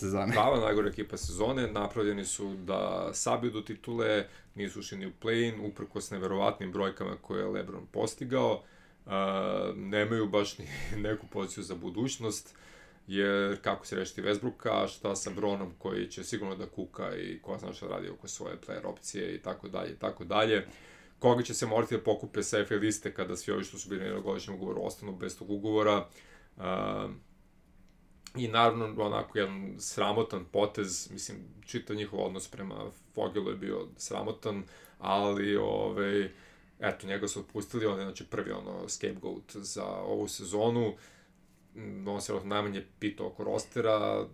Speaker 1: sezone.
Speaker 2: Napravljeni su da sabiju do titule, nisu ušli ni u play-in, uprkos neverovatnim brojkama koje je LeBron postigao. Nemaju baš ni neku poziciju za budućnost, jer kako se rešiti Westbrooka, šta sa Bronom koji će sigurno da kuka i ko zna šta radi oko svoje player opcije i tako dalje. Koga će se morati da pokupe sa FA liste kada svi ovi što su bili na godišnjem ugovoru ostanu bez tog ugovora. I naravno onako jedan sramotan potez, mislim, čitav njihov odnos prema Fogelu je bio sramotan, ali eto, njega su otpustili, on je znači prvi scapegoat za ovu sezonu. On se najmanje pitao oko rostera,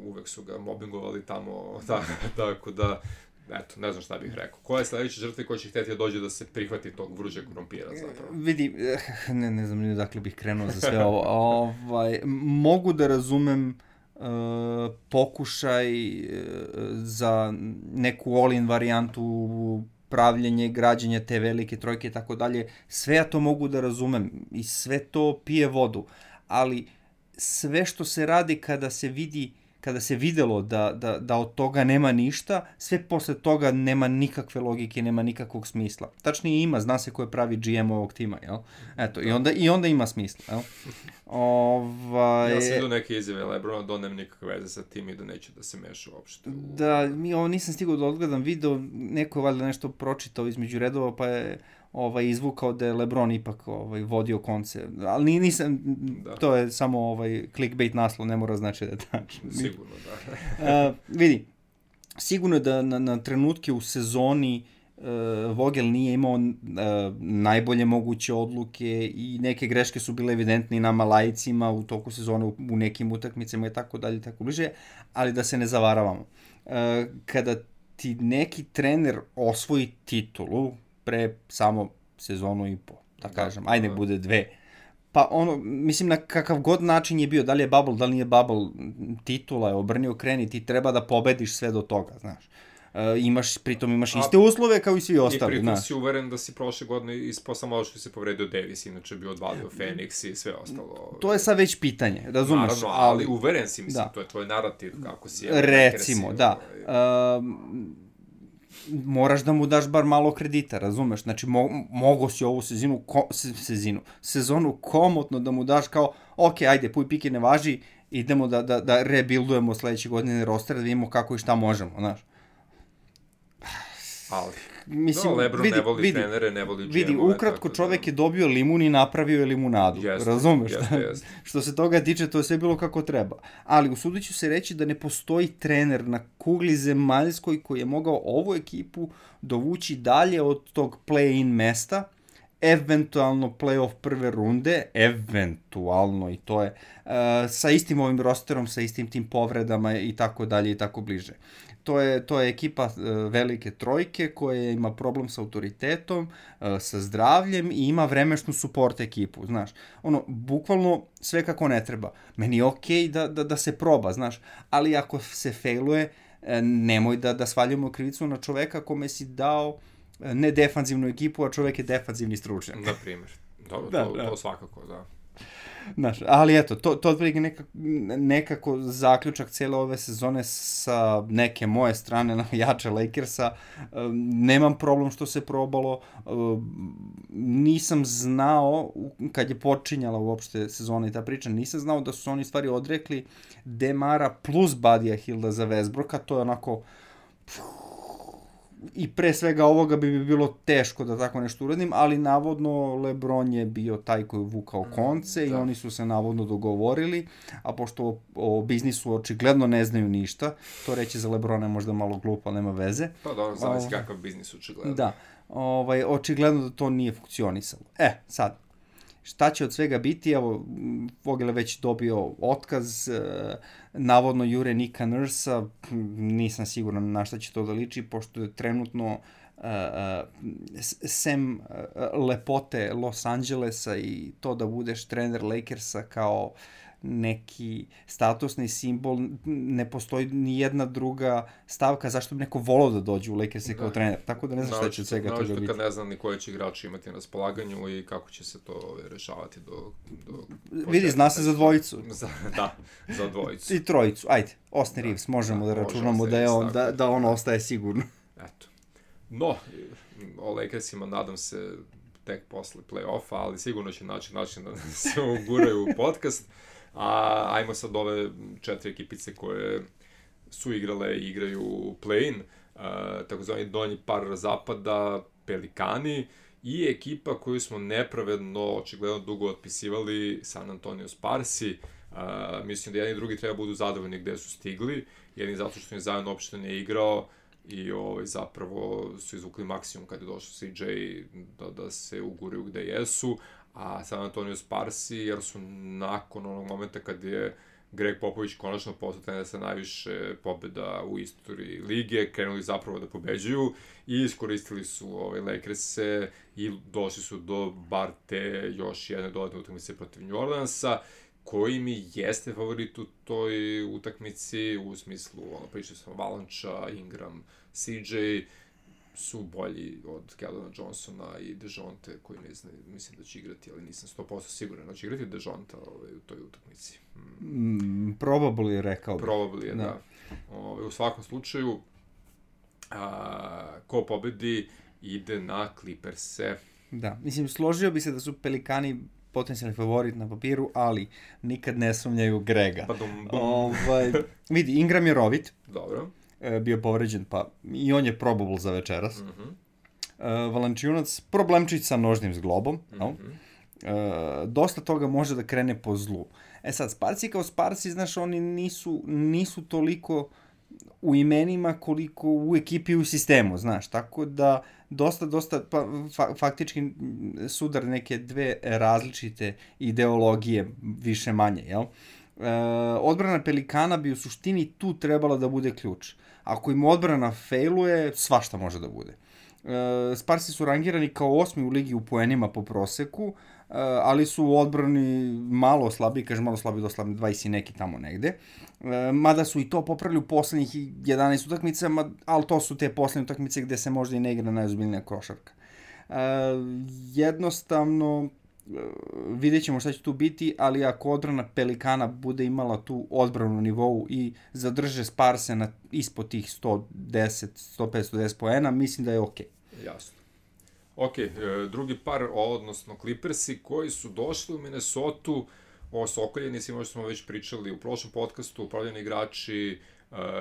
Speaker 2: uvek su ga mobbingovali tamo, tako da, eto, ne znam šta bih rekao. Koja je sledeća žrtva koja će hteti da dođe da se prihvati tog vruđeg krompira zapravo?
Speaker 1: Vidi, ne znam ni dakle bih krenuo za sve ovo. Mogu da razumem pokušaj za neku all-in varijantu, pravljenje, građenje te velike trojke i tako dalje. Sve ja to mogu da razumem i sve to pije vodu. Ali sve što se radi kada kada se videlo da od toga nema ništa, sve posle toga nema nikakve logike, nema nikakvog smisla. Tačnije ima, zna se ko je pravi GM ovog tima, jel? Eto, i onda ima smisla, jel?
Speaker 2: Ja sam vidio neke izjave Lebrona da on nema nikakve veze sa tim i da neće da se meša uopšte.
Speaker 1: Da, ovo nisam stigao da odgledam video, neko je valjda nešto pročitao između redova, pa je izvukao da je LeBron ipak vodio konce, ali nisam, to je samo clickbait naslov, ne mora znači da je tačno.
Speaker 2: Sigurno, da.
Speaker 1: Vidi, sigurno je da na trenutke u sezoni Vogel nije imao najbolje moguće odluke i neke greške su bile evidentne i nama laicima u toku sezone u nekim utakmicama i tako dalje i tako bliže, ali da se ne zavaravamo. Kada ti neki trener osvoji titulu pre samo sezonu i po, da kažem, ajde nek bude 2, pa mislim na kakav god način je bio, da li je bubble, da li nije bubble, titula je obrni okreni, ti treba da pobediš sve do toga, znaš. Pritom imaš iste uslove kao i svi ostali.
Speaker 2: I pritom si uveren da si prošle godine ispao samo što se povredio Davis, inače bi odvalio Phoenix i sve ostalo.
Speaker 1: To je sad već pitanje, razumeš?
Speaker 2: Naravno, ali uveren si, mislim, to je tvoj narativ, kako si...
Speaker 1: Recimo, da. Moraš da mu daš bar malo kredita, razumeš? Znači, mogo si ovu sezonu komotno da mu daš kao, ok, ajde, puj pike ne važi, idemo da rebuildujemo sledeće godine roster, da vidimo kako i šta možemo, znaš.
Speaker 2: Ali, mislim, Lebron ne voli trenere, ne voli GM-ove.
Speaker 1: Vidi, ukratko čovek je dobio limun i napravio je limunadu, razumeš? Što se toga tiče, to je sve bilo kako treba. Ali usudit ću se reći da ne postoji trener na kugli zemaljskoj koji je mogao ovu ekipu dovući dalje od tog play-in mesta, eventualno play-off prve runde, eventualno i to je, sa istim ovim rosterom, sa istim tim povredama i tako dalje i tako bliže. To je ekipa velike trojke koja ima problem sa autoritetom, sa zdravljem i ima vremešnu support ekipu, znaš. Bukvalno sve kako ne treba. Meni je okej da se proba, znaš, ali ako se failuje, nemoj da svaljujemo krivicu na čoveka kome si dao ne defanzivnu ekipu, a čovek je defanzivni stručnjak.
Speaker 2: Na primjer. Dobro, to svakako, da.
Speaker 1: Znaš, ali eto, to otprilike nekako zaključak cijele ove sezone sa neke moje strane na jače Lakersa. Nemam problem što se probalo. Nisam znao, kad je počinjala uopšte sezona i ta priča, nisam znao da su oni stvari odrekli Demara plus Budija Hilda za Westbrooka. To je onako... I pre svega ovoga bi bilo teško da tako nešto uradim, ali navodno LeBron je bio taj koji je vukao konce i oni su se navodno dogovorili, a pošto o biznisu očigledno ne znaju ništa, to reći za LeBrona je možda malo glupo, nema veze.
Speaker 2: Pa dobro, zavisi kakav biznis očigledno.
Speaker 1: Da, očigledno da to nije funkcionisalo. Sad, šta će od svega biti? Evo, Vogel je već dobio otkaz, navodno jure Nika Nursa, nisam siguran na šta će to da liči, pošto je trenutno sem lepote Los Angelesa i to da budeš trener Lakersa kao neki statusni simbol, ne postoji ni jedna druga stavka zašto bi neko volao da dođe u Lakers kao trener, tako da ne znam šta će od svega toga biti.
Speaker 2: Naočito kad ne znam ni koje će igrači imati na raspolaganju i kako će se to rešavati do
Speaker 1: vidi, zna se za dvojicu.
Speaker 2: Da, za dvojicu.
Speaker 1: I trojicu, ajde, Austin Reeves, možemo da računamo da on ostaje sigurno.
Speaker 2: Eto. No, o Lakersima nadam se tek posle play-offa, ali sigurno će naći način da se uguraju u podcast. A ajmo sad ove 4 ekipice koje su igrale i igraju play-in, takozvani donji par zapada, Pelikani i ekipa koju smo nepravedno, očigledno dugo otpisivali, San Antonio Sparsi. Mislim da jedni i drugi treba budu zadovoljni gde su stigli, jedni zato što je Zion uopšte ne igrao i zapravo su izvukli maksimum kad je došao CJ da se uguraju gde jesu, a San Antonio Sparsi, jer su nakon onog momenta kad je Greg Popovich konačno postao trener sa najviše pobjeda u istoriji lige, krenuli zapravo da pobeđuju i iskoristili su Lakers-e i došli su do bar te još jedne dodatne utakmice protiv New Orleansa, koji mi jeste favorit u toj utakmici, u smislu, pričao sam Valanča, Ingram, CJ, su bolji od Keldona Johnsona i DeJounte, koji ne znam, mislim da će igrati, ali nisam 100% siguran da će igrati DeJounte u toj utakmici.
Speaker 1: Probably, rekao bih.
Speaker 2: Probably je, da. U svakom slučaju, ko pobedi ide na Clippers-e.
Speaker 1: Da, mislim, složio bi se da su Pelikani potencijalni favorit na papiru, ali nikad ne sumnjaju Grega. Vidi, Ingram je rovit.
Speaker 2: Dobro.
Speaker 1: Bio povređen, pa i on je probable za večeras. Valanciunac, problemčić sa nožnim zglobom. Dosta toga može da krene po zlu. Sad, Sparsi kao Sparsi, znaš, oni nisu toliko u imenima koliko u ekipi i u sistemu, znaš, tako da dosta faktički sudar neke dve različite ideologije, više manje, jel? Odbrana Pelikana bi u suštini tu trebala da bude ključ. Ako im odbrana failuje, svašta može da bude. Sparsi su rangirani kao 8. u ligi u poenima po proseku, ali su u odbrani malo slabiji, kažem malo slabiji, do slabiji 20 i neki tamo negde. Mada su i to popravili u poslednjih 11 utakmica, ali to su te poslednje utakmice gde se možda i ne igra najozbiljnija košarka. Jednostavno, vidjet ćemo šta će tu biti, ali ako odbrana Pelikana bude imala tu odbranu na nivou i zadrže Sparse ispod tih 150 poena, mislim da je okej.
Speaker 2: Jasno. Ok, drugi par, odnosno Clippersi, koji su došli u Minnesotu, osokoljeni, svima što smo već pričali u prošlom podcastu, upravljeni igrači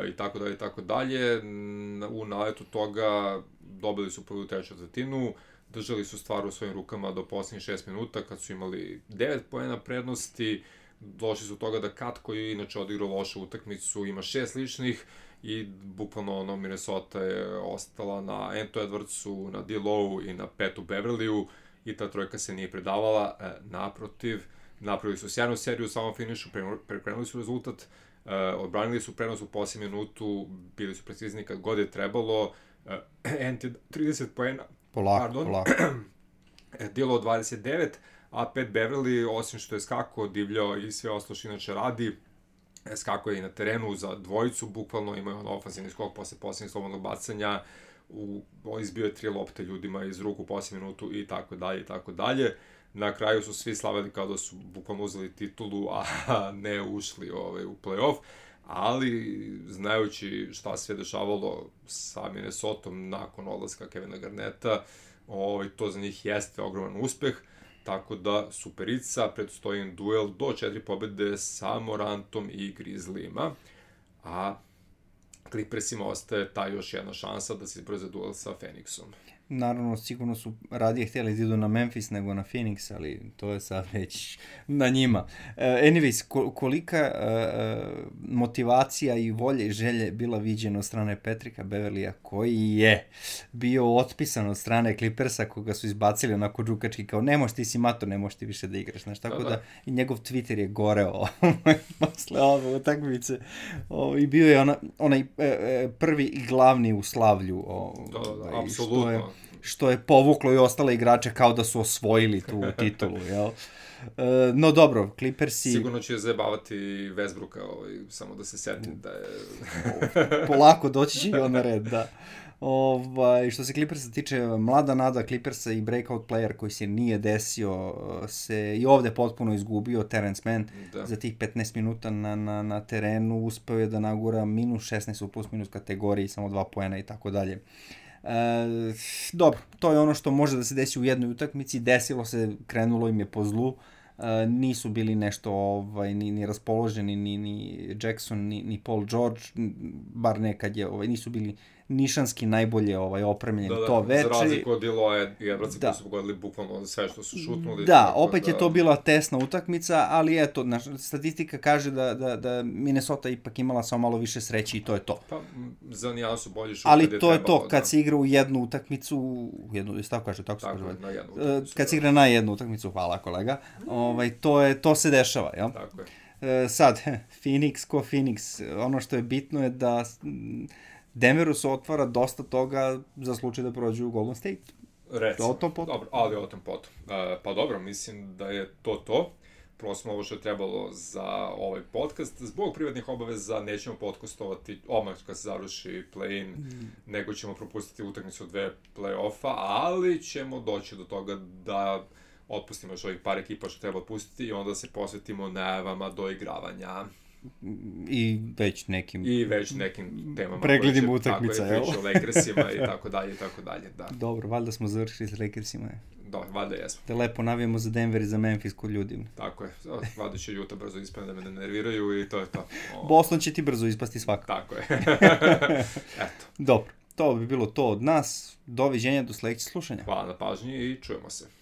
Speaker 2: i tako dalje, i tako dalje. U naletu toga dobili su prvu treću četvrtinu, držali su stvar u svojim rukama do posljednjih 6 minuta, kad su imali 9 poena prednosti, došli su toga da Kat, koji je inače odigrao lošu utakmicu, ima 6 ličnih, i bukvalno Minnesota je ostala na Anto Edwardsu, na D-Low i na Petu Beverleyu, i ta trojka se nije predavala. Naprotiv, napravili su sjajnu seriju u samom finišu, prekrenuli su rezultat, odbranili su prenos u posljednjem minutu, bili su precizni kad god je trebalo. Ant je 30 poena,
Speaker 1: polako.
Speaker 2: D-Low 29, a Pat Beverley, osim što je skako, divljao i sve ostalo što inače radi, skako je i na terenu za dvojicu, bukvalno imao je ofenzivni skok posle posljednjeg slobodnog bacanja, izbio je 3 lopte ljudima iz ruku u posljednjem minutu i tako dalje, i tako dalje. Na kraju su svi slavili kao da su bukvalno uzeli titulu, a ne ušli u play-off, ali znajući šta se dešavalo sa Minnesotom nakon odlaska Kevina Garneta, to za njih jeste ogroman uspeh. Tako da, superica, predstoji im duel do 4 pobede sa Morantom i Grizzlyima, a Clippersima ostaje ta još jedna šansa da se izbore za duel sa Phoenixom.
Speaker 1: Naravno, sigurno su radije htjeli da idu na Memphis nego na Phoenix, ali to je sad već na njima. Anyways, kolika motivacija i volje i želje bila viđena od strane Patricka Beverleya, koji je bio otpisan od strane Clippersa, koga su izbacili onako džukački, kao ne možeš ti si mato, ne možeš ti više da igraš, znaš, tako da i njegov Twitter je goreo posle ove utakmice i bio je onaj prvi i glavni u slavlju.
Speaker 2: Apsolutno.
Speaker 1: Što je povuklo i ostale igrače kao da su osvojili tu titulu, jel? No dobro, Clippersi...
Speaker 2: Sigurno će zajebavati Westbrooka, samo da se setim da je...
Speaker 1: Polako, doći će i on na red, da. Što se Clippersa tiče, mlada nada Clippersa i breakout player koji se nije desio, se i ovde potpuno izgubio, Terence Mann, za tih 15 minuta na terenu uspeo je da nagura minus 16 u plus minus kategoriji, samo 2 poena i tako dalje. Dobro, to je ono što može da se desi u jednoj utakmici, desilo se, krenulo im je po zlu, nisu bili nešto ni raspoloženi ni Jackson ni Paul George, bar nekad je, nisu bili nišanski najbolje opremljeni to veče.
Speaker 2: Za razliku od Diloa i Edwardsa koji su pogodili bukvalno sve što su šutnuli.
Speaker 1: Da, opet je to bila tesna utakmica, ali eto, statistika kaže da Minnesota ipak imala samo malo više sreće i to je to.
Speaker 2: Pa, za nijedan su bolji šut.
Speaker 1: Ali to je to, kad se igra u jednu utakmicu, tako se kaže. Kad se igra na jednu utakmicu, hvala kolega, to se dešava, jel?
Speaker 2: Tako je.
Speaker 1: Sad, Phoenix, ono što je bitno je da Denveru se otvara dosta toga za slučaj da prođu u Golden State.
Speaker 2: Recimo, dobro, ali o tom potom. Pa dobro, mislim da je to. prosto ovo što je trebalo za ovaj podcast. Zbog privatnih obaveza nećemo podcastovati odmah kad se završi play-in, nego ćemo propustiti utakmicu 2 play-offa, ali ćemo doći do toga da otpustimo još ovih par ekipa što treba pustiti i onda se posvetimo najavama doigravanja.
Speaker 1: I već nekim
Speaker 2: temama.
Speaker 1: Pregledimo utakmica,
Speaker 2: jel? Tako je, o Lakersima i tako dalje, da.
Speaker 1: Dobro, valjda smo završili s Lakersima.
Speaker 2: Da, valjda jesmo.
Speaker 1: Te lepo navijemo za Denver i za Memphis kod ljudi.
Speaker 2: Tako je, valjda će Utah brzo ispane da me ne nerviraju i to je to.
Speaker 1: Boston će ti brzo ispasti svakako.
Speaker 2: Tako je. Eto.
Speaker 1: Dobro, to bi bilo to od nas. Doviđenja, do sledećeg slušanja.
Speaker 2: Hvala na pažnji i čujemo se.